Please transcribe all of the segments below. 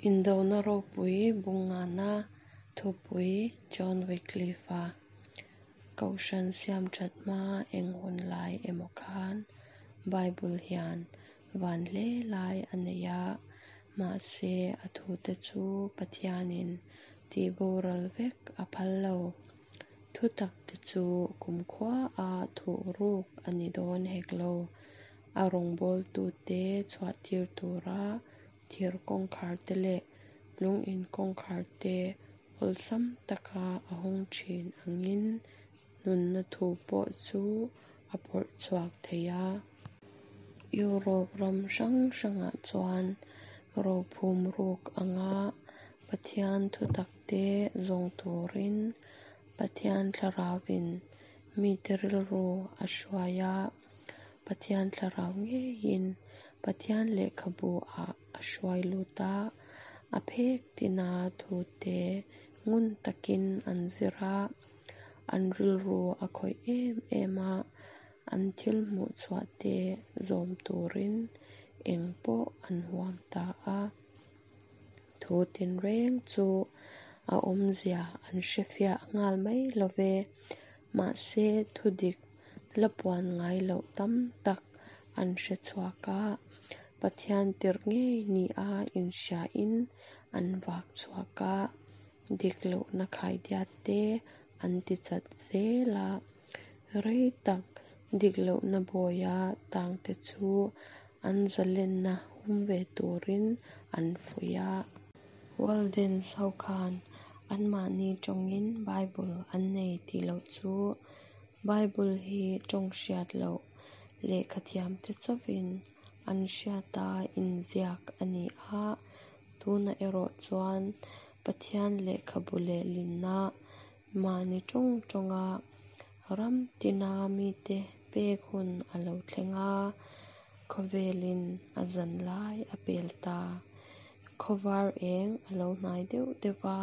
Indona ropui bungana thupui John Wycliffe-a Kohhran siamthat hma eng hun lai emaw khan Bible hian van hle lai a nei a, mahse a thute chu Pathianin tihboral vek a phal lo. Thutakte chu kumkhua-a thuhruk a ni dawn hek lo. A rawngbawltute chhuahtir tura thir kawngkharte leh lung in kawngkharte awlsam taka a hawng thin angin nunna thu pawh chu a phawrh chhuak thei a. Europe ram hrang hrangah chuan rophum ruk anga Pathian thutakte zawng turin Pathian Thlarauvin mite rilru a hruai a, Pathian Thlarau ngeiin Pathian lehkhabu-ah a hruai lut a, a phek tina thute ngun takin an zir a, an rilru a khawih em em a, an thil hmuh chhuahte zawm turin eng pawh an huam ta a. Thu tinreng chu a awmzia an hrefiah nghal mai lo ve, mahse thudik la puan ngai loh tam tak an hre chhuak a, Pathian tirh ngei nia inhriain an vak chhuak a, dik lohna khaidiat te an ti chat zel a, rei tak dik lohna bawia tangte chu an zalenna hum ve turin an fuih a. Waldens ho khan anmahni tawngin Bible an nei tih loh chu Bible hi tawng hriat loh lehkhathiamte chauhin an hriata inziak a ni a, tunah erawh chuan Pathian lehkhabu lehlinna mahni tawng tawnga ram tina mite pek hun a lo thleng a, khawvelin a zan lai a pel ta. Khawvar eng a lo hnai deuh deuh va,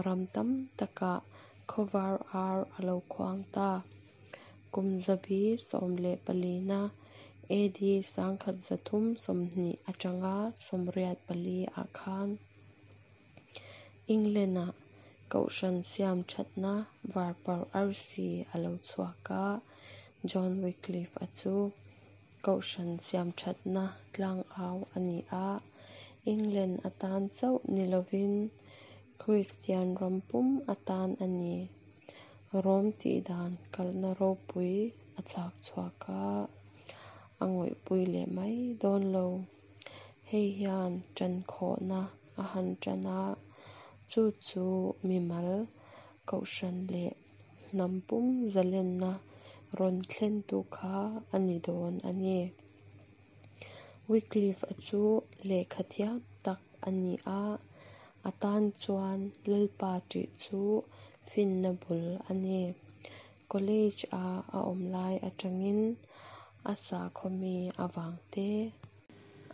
ram tam takah khawvar ar a lo khuang ta. Kum zabi 14na AD 1320 atanga 84 ah khan England-ah Kohhran siam thatna varparh arsi a lo chhuak a, John Wycliffe-a chu Kohhran siam thatna tlangau a ni a, England atan chauh ni lovin Kristian ram pum atan a ni. Rom tihdan kalna ropui a chak chhuak a, a ngawihpui leh mai dawn lo. Hei hian ṭankhawhna a han ṭan a, chu chu mimal, kohhran leh hnam pum zalenna rawn thlentu kha a ni dawn a ni. Wycliffe-a chu lehkha thiam tak a ni a, a tan chuan Lalpa ṭih chu finna bul a ni. College-a a awm lai aṭangin a sakhaw mi avang te,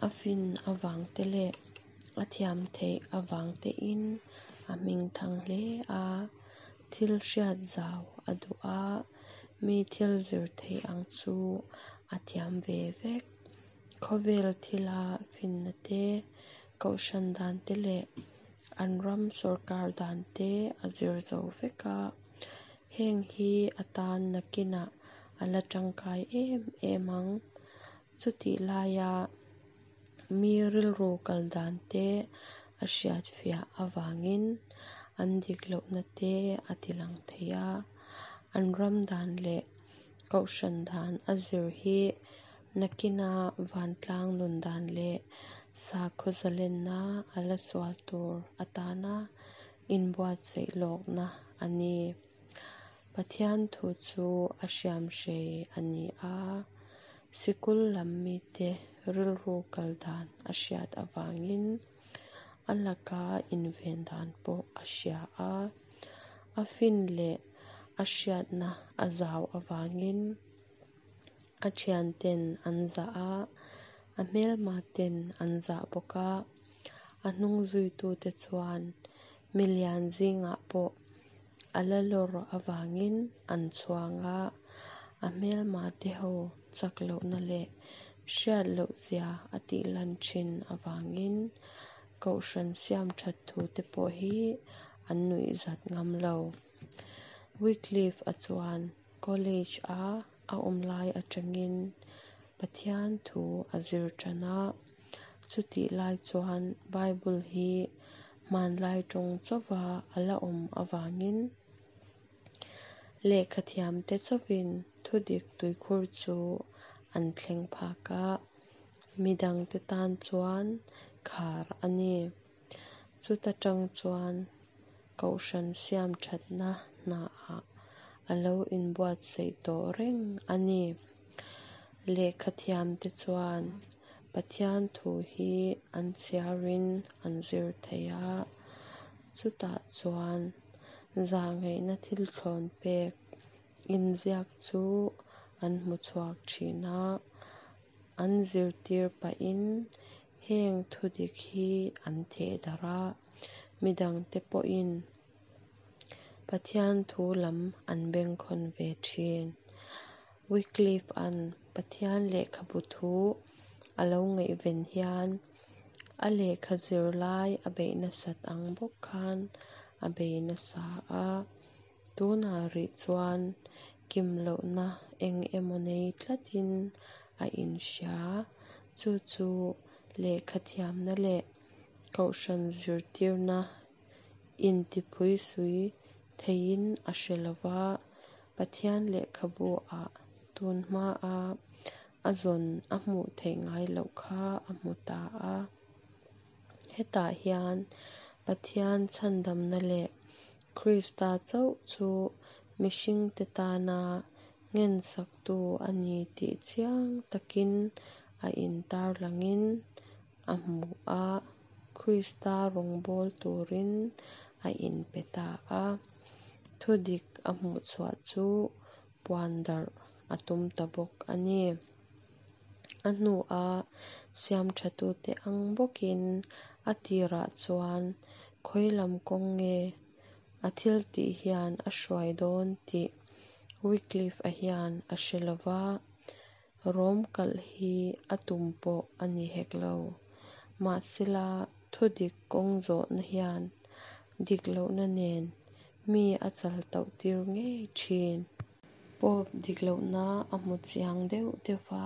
a fin avang te leh a thiam theih avang tein a hmingthang hle a, thil hriat zau a duh a, mi thil zir theih ang chu a thiam ve vek. Khawvel thila finna te, kohhran dan te leh an ram sawrkar dan te a zir zo vek a, heng hi a tan nakinah a la tangkai em em ang. Chutih laia mi rilru kal dan te a hriatfiah avangin an dik lohna te a tilang thei a, an ram dan leh kohhran dan a zir hi nakina vantlang nun dan leh sakhaw zalenna a la sual tur atana inbuatsaih lawkna a ni. Pathian thu chu a hriamhrei a ni a, sikul lam mite rilru kal dan a hriat avangin a laka inven dan pawh a hria a, a fin leh a hriatna a zau avangin a thianten an zah a, a hmelmaten an zah bawk a, a hnung zuitute chuan milian zingah pawh a la lawr avangin an chhuang a, a hmelmate ho chak lohna leh hriat lohzia a tihlan thin avangin. Kohhran siam that thute pawh hi an nuihzat ngam lo. Wycliffe-a chuan college-a a awm lai atangin Pathian thu a zir tan a, chutih lai chuan Bible hi hmanlai tawng chauhva a la awm avangin lehkhathiamte chauhin thudik tuikhur chu an thleng phak a, midangte tan chuan khar a ni. Chuta tang chuan Kohhran siam thatna hnaah a lo inbuatsaih tawh reng a ni. Lehkhathiamte chuan Pathian thu hi an chhiarin an zir thei a, chutah chuan zahngaihna thil thlawn pek inziak chu an hmu chhuak thin a, an zirtir pahin heng thudik hi an theh darh a, midangte pawhin Pathian thu lam an bengkhawn ve thin. Wycliffe-a'n Pathian lehkhabu thu a lo ngaihven hian a lehkha zir lai a beih nasat ang bawk khan a bei nasa a. Tunah rih chuan kim lohna eng emaw nei tlatin a inhria. Chu chu lehkha thiamna leh kohhran zirtirna intiphuisui theiin a hre lo va, Pathian lehkhabu-ah tun hmaa a zawn a hmuh theih ngai loh kha a hmu ta a. Hetah hian Pathian chhandamna leh Krista chauh chu mihringte tana ngensaktu a ni tih chiang takin a intarlangin a hmu a, Krista rawngbâwl tûrin a inpe ta a. Thudik a hmuhchhuah chu puan darh a tum ta bawk a ni. A hnua siamṭhatute ang bawkin a tirah chuan khawi lam kawng nge a thiltih hian a hruai dawn tih Wycliffe-a hian a hre lo va, Rom kalh hi a tum pawh a ni hek lo. Mahsela, thudik kawng zawhna hian dik lohna nen mi a chal tauh tir ngei thin. Pope dik lohna a hmu chiang deuh deuh va,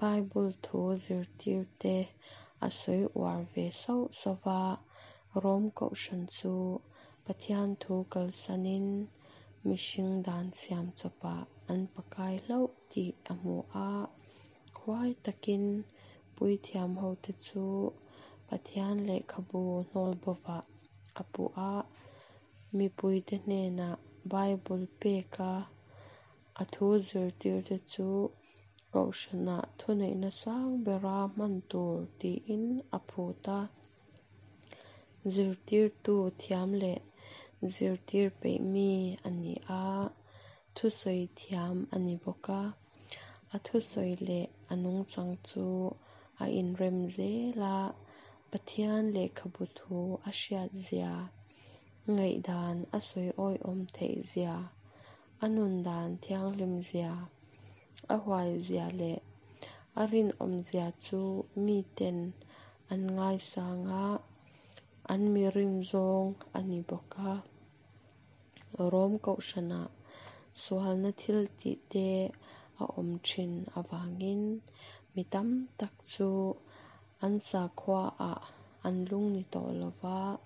Bible thu zirtirte a sawi uar ve sauh sauh va, Rom kohhran chu Pathian thu kalsanin mihring dan siam chawpah an pakai hlauh tih a hmu a. Huai takin puithiam hote chu Pathian lehkhabu hnawl bovah a puh a, mipuite hnenah Bible peka a thu zirtirte chu kohhranah thuneihna sang bera hman tur tiin a phut a. Zirtirtu thiam leh zirtir peih mi a ni a, thusawi thiam a ni bawk a. A thusawi leh a nungchang chu a inrem zel a, Pathian lehkhabu thu a hriat zia, ngaihdan a sawi awihawm theih zia, a nundan thianghlim zia, a huai zia leh a rinawm zia chu miten an ngaisang a, an mi rin zawng a ni bawk a. Rom kohhranah sualna thil tih te a awm thin avangin mi tam tak chu an sakhuaah an lung ni tawh lo va,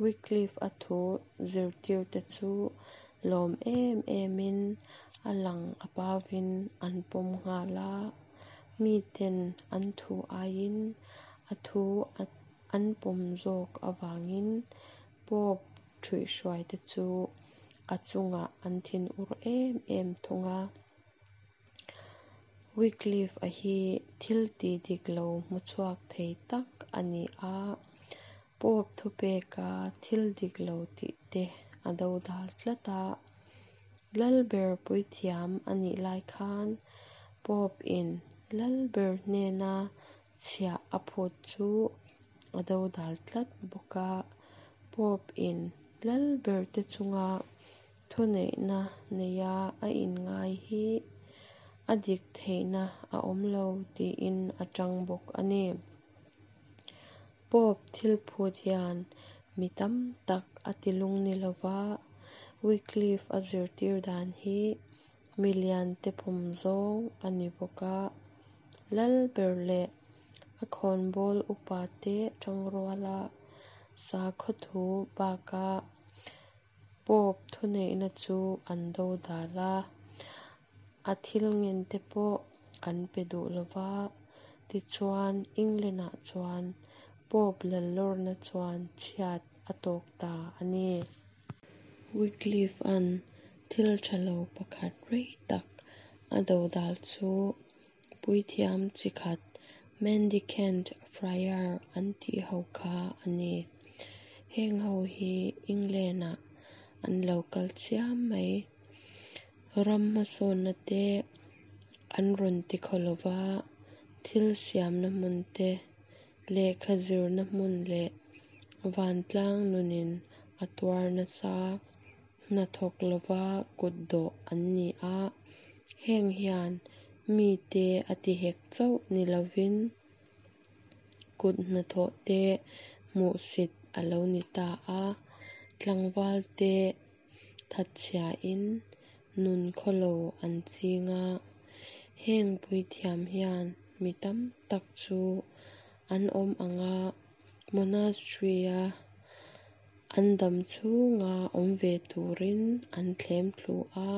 Wycliffe-a thu zirtirte chu lawm em emin a lang a pauvin an pawm nghal a, miten an thu aiin a thu an pawm zawk avangin Pope ṭhuihhruaite chu a chungah an thinur em em thung a. Wycliffe-a hi thil tih dik lo hmu chhuak thei tak a ni a, Pope thupeka thil dik lo tih te a dodal tlat a. Lalber puithiam a nih lai khan Pope-in Lalber hnena chhiah a phut chu a dodal tlat bawk a. Pope-in Lalberte chunga thuneihna neia a inngai hi a dik theihna a awm lo tiin a tang bawk a ni. Pope thil phut hian mi tam tak a tilungni lo va, Wycliffe-a zirtir dan hi miliante pawm zawng a ni bawk a. Lalber leh a khawnbawl upate tangruala sakhaw thu bakah Pope thuneihna chu an dodal a, a thil ngente pawh an pe duh lo va. Tichuan, England-ah chuan Pope lallawrna chuan chhiat a tawk ta a ni. Wycliffe-a'n thil tha lo pakhat rei tak a dodal chu puithiam chi khat Mendicant Friar an tih ho kha a ni. Heng ho hi England-ah an lo kal chiam mai. Ram hmasawnna te an rawn ti khaw lo va, thil siamna hmun te, lehkha zirna hmun leh vantlang nunin a tuar nasa. Hnathawk lova kutdawh an ni a, heng hian mite a tihek chauh ni lovin kut hnathawh te hmuhsit a lo ni ta a, tlangvalte thatchhiain nun khawlo an ching a. Heng puithiam hian mi tam tak chu an awm ang a, monastery-a an dam chhunga awm ve turin an thlem thlu a.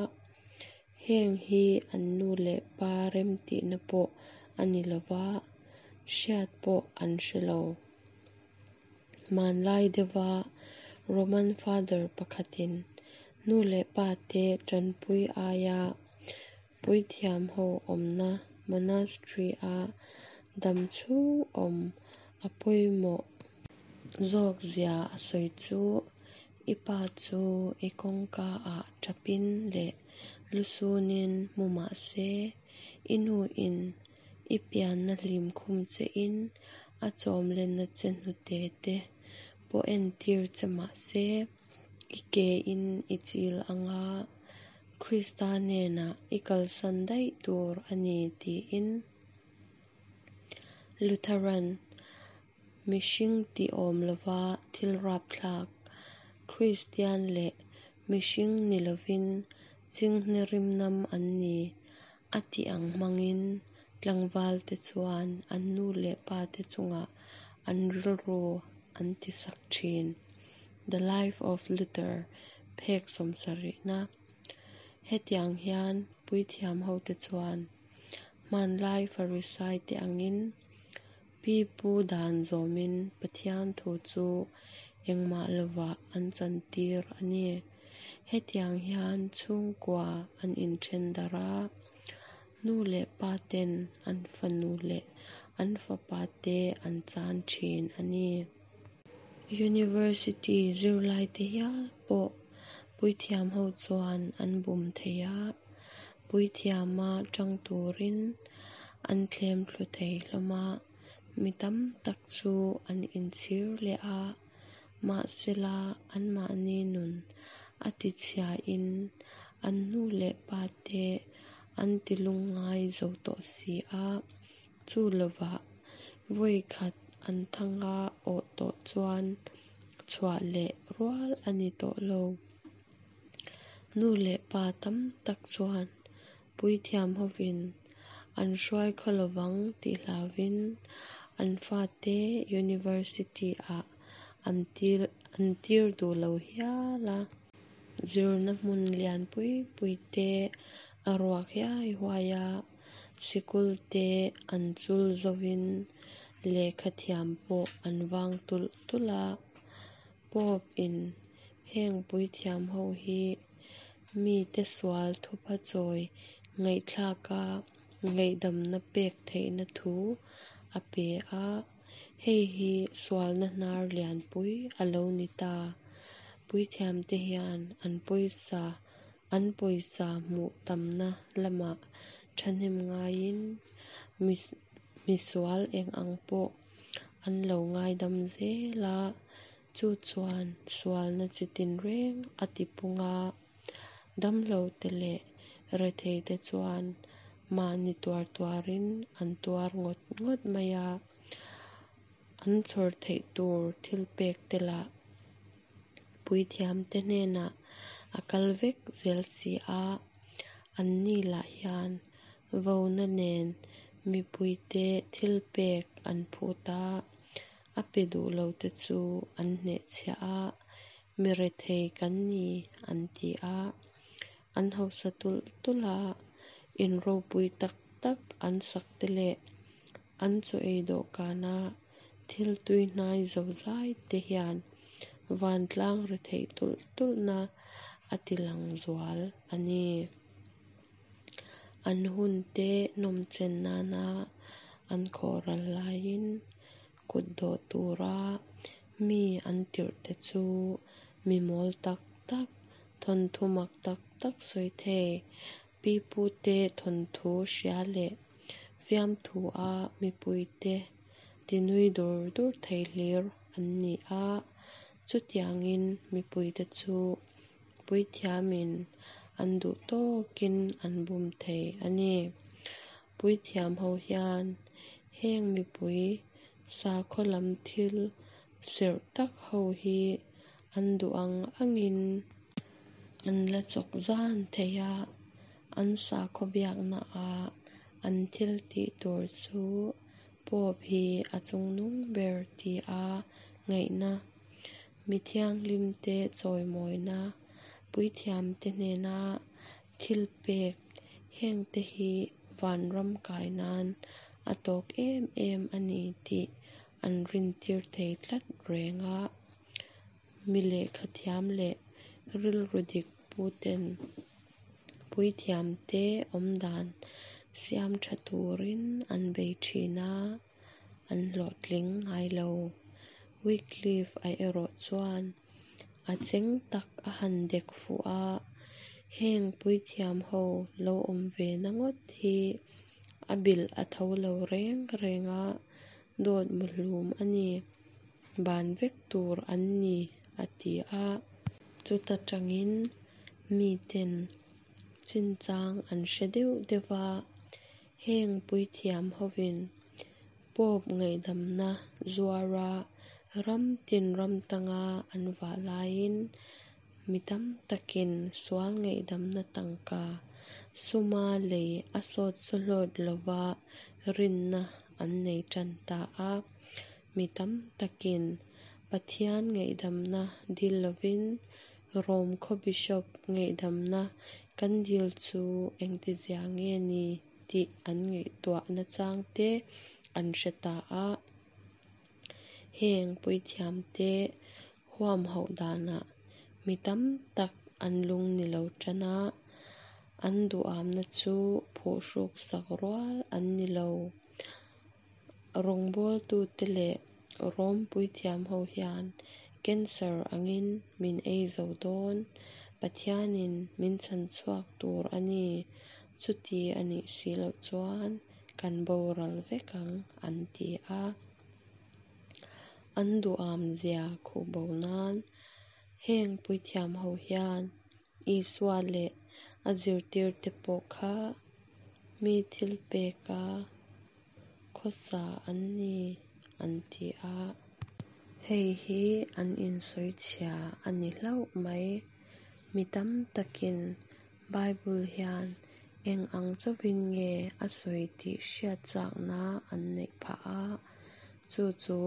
Heng hi an nu leh pa remtihna pawh a ni lo va, hriat pawh an hre lo. Hmanlai deuhva Roman Father pakhatin nu leh pate tanpui aia puithiam ho awmna monastery-a dam chhung awm a pawimawh zawk zia a sawi chu, I pa chu i kawngkaah tapin leh lusunin mu mah se, i nuin i pianna hlim khum chein a chawmlenna che hnute te pawh entir che mah se, i kein i chil ang a, Krista hnenah i kalsan daih tur a ni tiin. Lutheran, mihring tih awm lova thil rapthlak, Kristian leh mihring ni lovin chinghne rimnam an ni a tih ang hmangin tlangvalte chuan an nu leh pate chungah an rilru an tisak thin. The Life of Luther, phek sawmsarihna. Hetiang hian puithiam hote chuan hmanlai Farisai te angin pi pu dan zawmin Pathian thu chu engmah lovah an chantir a ni. Hetiang hian chhungkua an inthen darh a, nu leh pa ten an fanu leh an fapa te an chan thin a ni. University zirlaite hial pawh puithiam ho chuan an bum thei a, puithiama tang turin an thlem thlu thei hlawm a, mi tam tak chu an inchhir leh a, mahsela anmahni nun a tichhiain an nu leh pate an tilungngai zo tawh si a, chu lovah vawi khat an thanga awh tawh chuan chhuah leh rual a ni tawh lo. Nu leh pa tam tak chuan puithiam hovin an hruai khaw lovang tih hlauvin an fate university-ah an an tir duh lo hial a. Zirna hmun lian pui pui te a ruak hiai huai a, sikul te an chul zovin lehkha thiam pawh an vang tulh tulh a. Pope in heng puithiam ho hi mite sual thupha chawi ngaihthlaka ngaihdamna pek theihna thu a pe a, hei hi sualna hnar lianpui a lo ni ta. Puithiamte hian an pawisa an pawisa hmuh tamna lamah thahnem ngaiin misual eng ang pawh an lo ngaidam zel a, chu chuan sualna chi tinreng a tipung a. Damlote leh retheite chuan mahni tuar tuarin an tuar ngawt ngawt mai a. An chhawr theih tur thilpek te lah puithiamte hnenah a kal vek zel si a, anni lah hian vona nen mipuite thilpek an phut a, a pe duh lote chu an hnehchhiah a, mi rethei kan ni an ti a, an hausa tulh tulh a, in ropui tak tak an sak te leh an chaw ei dawhkana thil tuihnai zozai te hian vantlang retheih tulh tulhna a tilang zual a ni. An hunte nawmchen nana an khawhral laiin kut dawh tura mi an tirhte chu mi mawl tak tak, thawnthu mak tak tak sawi thei, pipute thawnthu hria leh fiamthua mipuite tinui dur dur thei hlir an ni a. Chutiangin mipuite chu puithiamin an duh tawkin an bum thei a ni. Puithiam ho hian heng mipui sakhaw lam thil serh tak ho hi an duh ang angin an la chawk zan thei a, an sakhaw biaknaah an thil tih tur chu Pope hi a chungnung ber tia ngaihna, mi thianghlimte chawimawina, puithiamte hnena thilpek hengte hi vanram kai nan a tawk em em a ni tih an rintir thei tlat reng a. Mi lehkhathiam leh rilru dik puten puithiamte awmdan siam tha turin an bei thin a, an hlawhtling ngai lo. Wycliffe-a erawh chuan a cheng tak a han dek fuh a, heng puithiam ho lo awm ve na ngawt hi a bilh a tho lo reng reng a, dawt muhlum a ni, ban vek tur an ni a ti a. Chuta tangin miten chinchang an hre deuh deuh va, heng puithiam hovin Pope ngaihdamna zuara ram tin ram tanga an vah laiin mi tam takin sual ngaihdamna tangka suma lei a sawt sawhlawt lova rinna an nei tan ta a. Mi tam takin Pathian ngaihdamna dil lovin Rom khaw Bishop ngaihdamna kan dil chu engtizia nge ni tih an ngaihtuah nachang te an hre ta a. Heng puithiamte huamhauh danah mi tam tak an lung ni lo tan a, an duhamna chu phuhruk sak rual an ni lo. Rawngbawltute leh Rom puithiam ho hian cancer angin min ei zo dawn, Pathianin min chhanchhuak tur a ni, chuti a nih si loh chuan kan boral vek ang an ti a. An duhamzia khuhbo nan heng puithiam ho hian Isua leh a zirtirte pawh kha mi thilpeka khawsa an ni an ti a. Hei hi an insawichhia a ni hlauh mai. Mi tam takin Bible hian eng ang chauhin nge a sawi tih hriat chakna an neih phah a, chu chu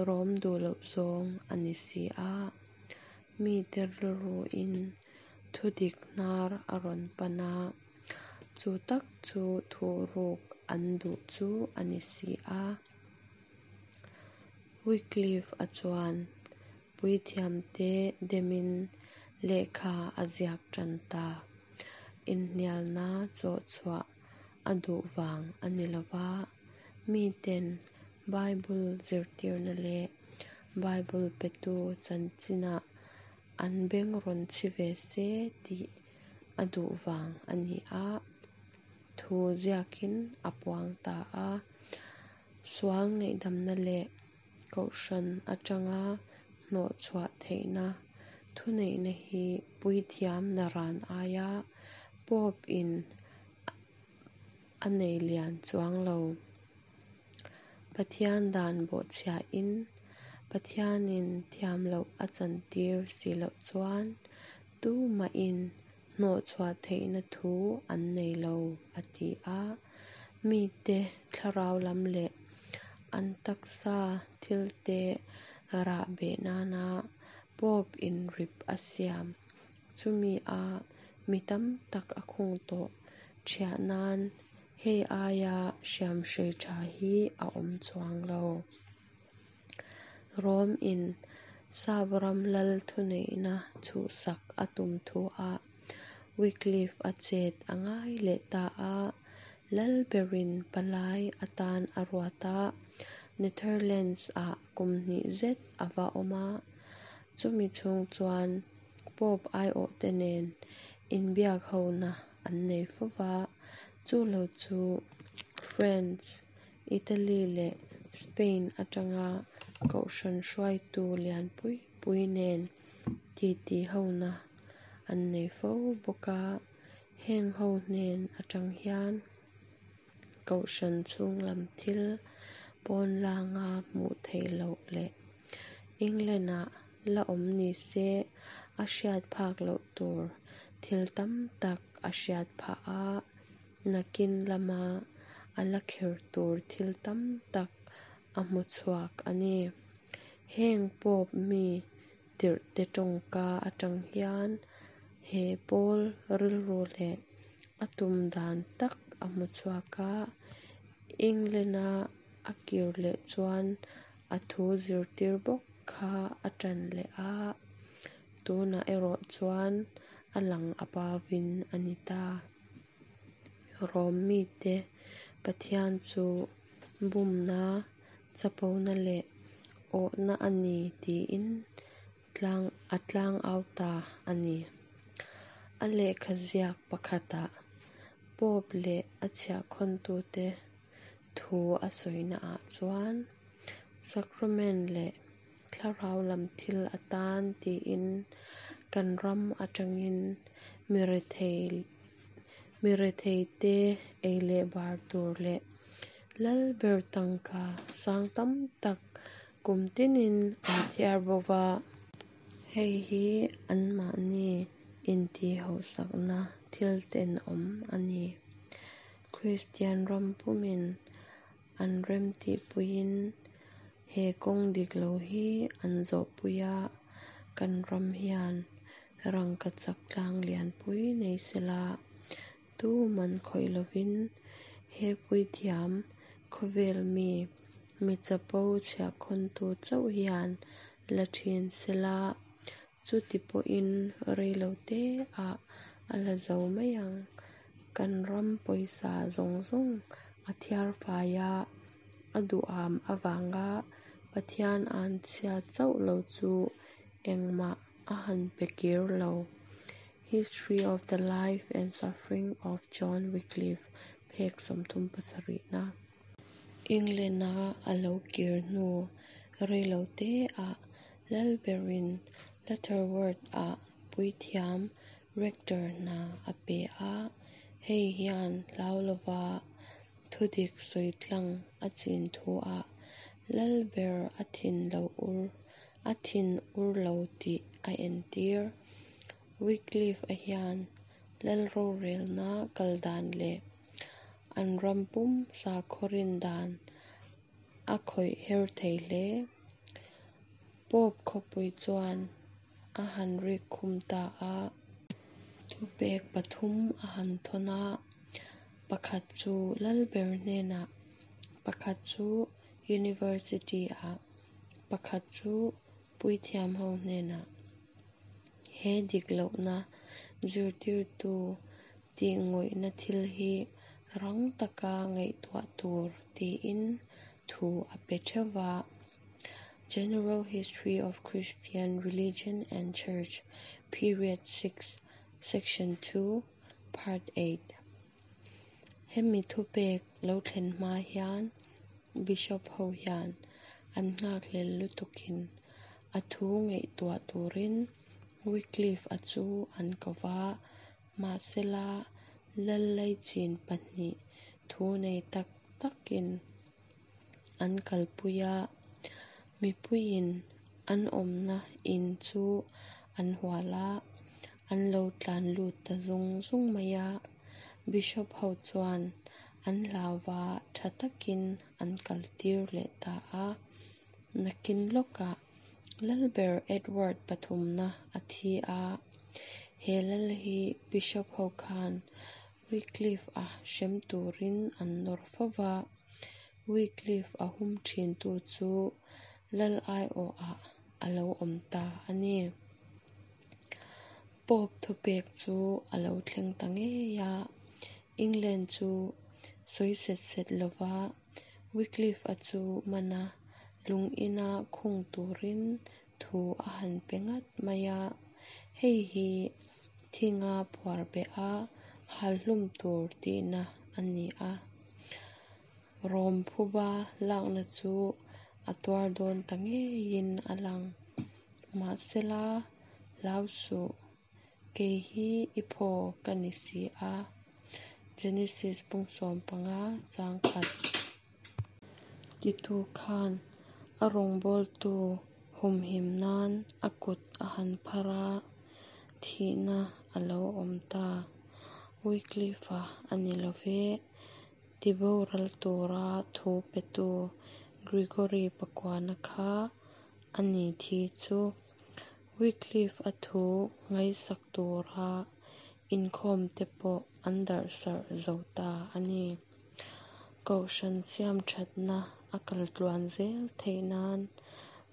Rom duh loh zawng a ni si a. Mite rilruin thudik hnar a rawn pan a, chu tak chu thuhruk an duh chu a ni si a. Wycliffe-a chuan puithiamte demin lehkha a ziak tan ta. Inhnialna chawh chhuah a duh vang a ni lo va, miten Bible zirtirna leh Bible petu chanchinah an beng rawn chhi ve se tih a duh vang a ni a, thu ziakin a puang ta a. Sual ngaihdamna leh kohhran atanga hnawhchhuah theihna thuneihna hi puithiam naran aia Pope-in a nei lian chuang lo. Pathian dan bawhchhiain Pathianin thiam loh a chantir si loh chuan tumahin hnawhchhuah theihna thu an nei lo, a ti a. Mite thlarau lam leh an taksa thilte rah beh nana Pope in rip a siam, chumi a mi tam tak a khung tawh ṭhiah nan hei aia hriamhrei ṭha hi a awm chuang lo. Rom in Sap ram lal thuneihna chhuhsak a tum thu-ah Wycliffe a chet a ngai leh ta a, lal berin palai atan a ruat a, Netherlands ah kum hnih zet a va awm a, chumi chhung chuan Pope aiawhte nen inbiakhona an nei fo va, chu lo chu France, Italy leh Spain atanga kohhran hruaitu lian pui pui nen titi hona an nei fo bawk a, heng ho hnen atang hian kohhran chhung lam thil pawnlanga hmuh theih loh leh England-ah la awm ni se a hriat phak loh tur thil tam tak a hriat phah a, nakin lama a la kher tur thil tam tak a hmu chhuak a ni. Heng Pope mi tirhte tawngka atang hian he pawl rilru leh a tum dan tak a hmu chhuak a, England-a a kir leh chuan a thu zirtir bawk kha a tan leh a, tunah erawh chuan a lang a pauvin a ni ta. Rom mite Pathian chu bumna, chapona leh awhna a ni tiin tlang a tlangau ta a ni. A lehkha ziak pakhatah Pope leh a chhiahkhawntute thu a sawinaah chuan Sacrament leh thlarau lam thil atan tiin kan ram atangin mirethei miretheite ei leh bar tur leh Lalber tangka sang tam tak kum tinin an thiar bo va. Hei hi anmahni intihhauhsakna thil tenawm a ni. Kristian ram pumin an remtihpuiin he kawng dik lo hi an zawhpui a, kan ram hian rangkachak tlang lianpui nei sela, tuman khawih lovin he puithiam khawvel mi, mi chapo chhiahkhawntu chauh hian la thin sela, chuti pawhin rei lo teah a la zo mai ang. Kan ram pawisa zawng zawng a thiar fai a, a duham avanga Pathian anchhia chauh lo chu engmah a han pe kir lo. History of the Life and Suffering of John Wycliffe phek 37 na. England-a a lo kir hnu rei lo teah Lalberin Lutterworth-ah puithiam rector hna a pe a, hei hian hlau lova thudik sawi tlang a chin thuah Lalber a thin lo ur a thin ur lo tih a entir. Wycliffe-a hian Lal rorelna kal dan leh an ram pum sakhaw rin dan a khawih her thei hle. Pope khawpui chuan a han rik khum ta a. Thupek pathum a han thawn a, pakhat chu Lalber hnenah, pakhat chu University-ah, pakhat chu puithiam ho hnenah. He dik lohna zirtirtu tih ngawihna thil hi rang taka ngaihtuah tur tiin thu a pe theuh va. General History of Christian Religion and Church, Period 6, Section 2, Part 8. Hemi thupek lo thlen hma hian Bishop ho hian an nghakhlel lutukin a thu ngaihtuah turin Wycliffe-a chu an ko va, mahsela lal laichin pahnih thu nei tak takin. an kalpui a, mipuiin an awmna in chu an hual a, an lo tlan lut ta zung zung mai a. Bishop ho chuan an hlau va, tha takin an kaltir leh ta a. Nakin lawkah Lalber Edward pathumna a thi a, he lal hi Bishop ho khan Wycliffe-a hrem turin an nawr fo va, Wycliffe-a hum thintu chu lal aiawhah a lo awm ta a ni. Pope thupek chu a lo thleng ta ngei a, England chu sawi set set lova Wycliffe-a chu man a, lung ina khung turin thu a han pe ngat mai a. Hei hi thinga phuar beh a, hal hlum tur tihna a ni a. Rom phuba lakna chu a tuar dawn ta ngeiin a lang. Mahsela, hlau suh, kei hi i phaw ka ni si a. Genesis bung 15 chang khat. Titu khan a rawngbawltu humhim nan a kut a han phar a, thihna a lo awm ta. Wycliffe-a a ni lo ve, tiboral tura thu petu Gregory pakuana kha a ni thi chu. Wycliffe-a thu ngaihsak tura inkhawmte pawh an darhsarh zo ta a ni. Kohhran siamthatna a kal tluan zel theih nan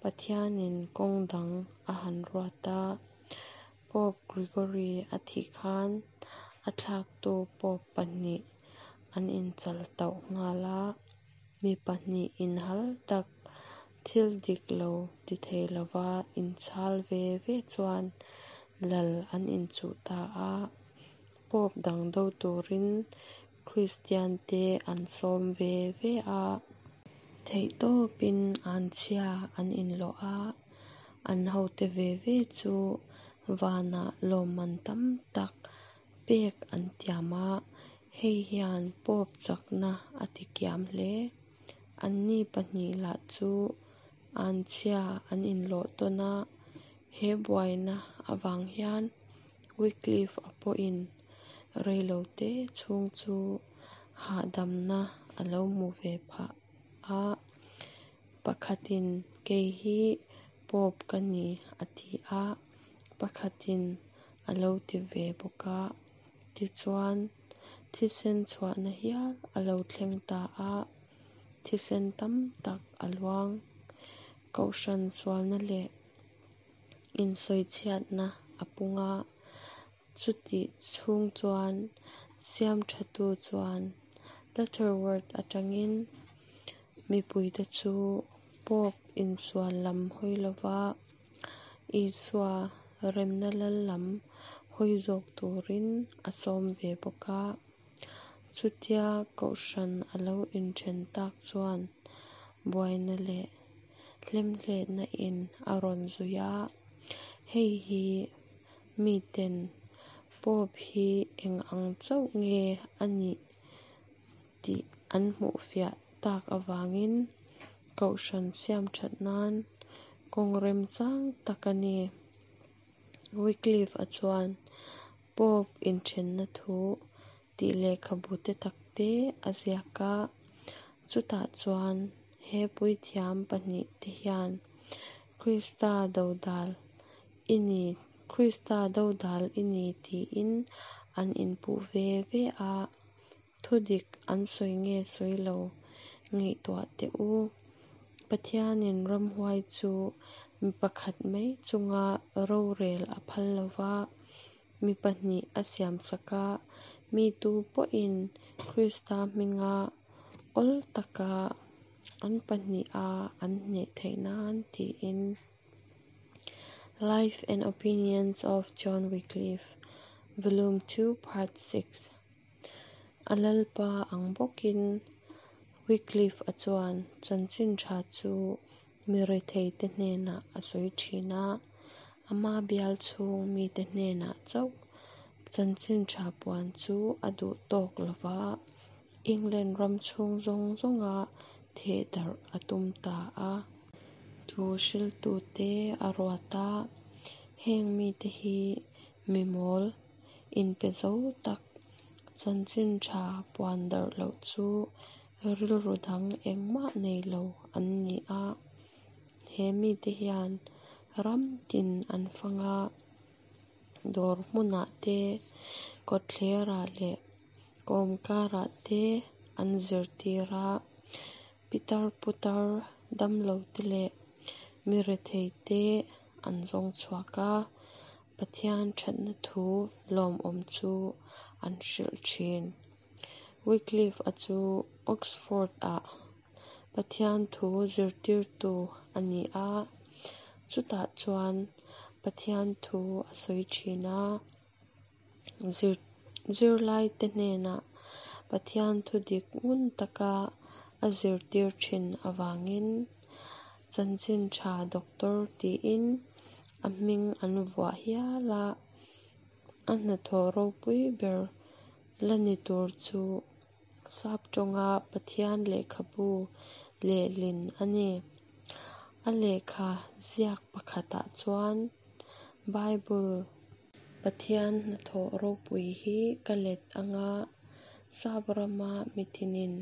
Pathianin kawng dang a han ruat a. Pope Gregory a thih khan a thlaktu Pope pahnih an inchal tauh nghal a. Mi pahnih inhal tak, thil dik lo ti thei lova inchhal ve ve chuan lal an inchuh ta a. Pope dang do turin Kristiante an sawm ve ve a. Theihtawpin anchhia an inlawh a, an hote ve ve chu vanah lawmman tam tak pek an tiam a, hei hian Pope chakna a tikiam hle. Anni pahnih lah chu anchhia an inlawh tawn a, he buaina avang hian Wycliffe-a pawhin reilote chhung chu hahdamna a lo hmu ve phah a. Pakhatin kei hi Pope ka ni a ti a, pakhatin a lo ti ve bawk a. Tichuan, thisen chhuahna hial a lo thleng ta a, thisen tam tak a luang. Kohhran sualna leh insawichhiatna a pung a, chutih chhung chuan siamthatu chuan Lutterworth atangin mipuite chu Pope insual lam hawi lova Isua remna lal lam hawi zawk turin a sawm ve bawk a. Chutia kohhran a lo inthen tak chuan buaina leh hlemhletna in a rawn zui a, hei hi miten Pope hi eng ang chauh nge a nih tih an hmuh fiah tak avangin kohhran siamthat nan kawng remchang tak a ni. Wycliffe-a chuan Pope inthenna thu tih lehkhabu te tak te a ziak a, chutah chuan he puithiam pahnih te hian Krista dodal i ni, Krista dodal i ni tiin an inpuh ve ve a, thudik an sawi nge sawi lo ngaihtuah teh u. Pathianin ramhuai chu mi pakhat mai chunga rorel a phal lo va, mi pahnih a siamsak a, mi tu pawhin Krista hminga awl taka an pahniha an hneh theih nan tiin. Life and Opinions of John Wycliffe, Volume 2, Part 6. A lalpa ang bawkin Wycliffe-a chuan chanchin tha chu mi retheite hnenah a sawi thin a, ama bial chhung mite hnenah chauh chanchin tha puan chu a duh tawk lo va, England ram chhung zawng zawnga thehdarh a tum ta a. Thu hriltute a ruat a, heng mite hi mi mawl, inpe zo tak, chanchin tha puan darh loh chu rilru dang engmah nei lo an ni a. He mite hian ram tin an fang a, dawr hmunah te, kawtthlerah leh kawmkarah te an zirtir a, pitar putar damlote leh mi retheite an zawng chhuak a, Pathian thatna thu lawmawm chu an hrilh thin. Wycliffe-a chu Oxford-ah Pathian thu zirtirtu a ni a, chutah chuan Pathian thu a sawi thin a, zirlaite hnenah Pathian thu dik ngun taka a zirtir thin avangin Chanchin Tha Doctor tiin a hming an vuah hial a, a hnathawh ropui ber la ni tur chu Sap tawnga Pathian lehkhabu lehlin a ni. A lehkha ziak pakhatah chuan Bible. Pathian hnathawh ropui hi ka let anga Sap rama mitinin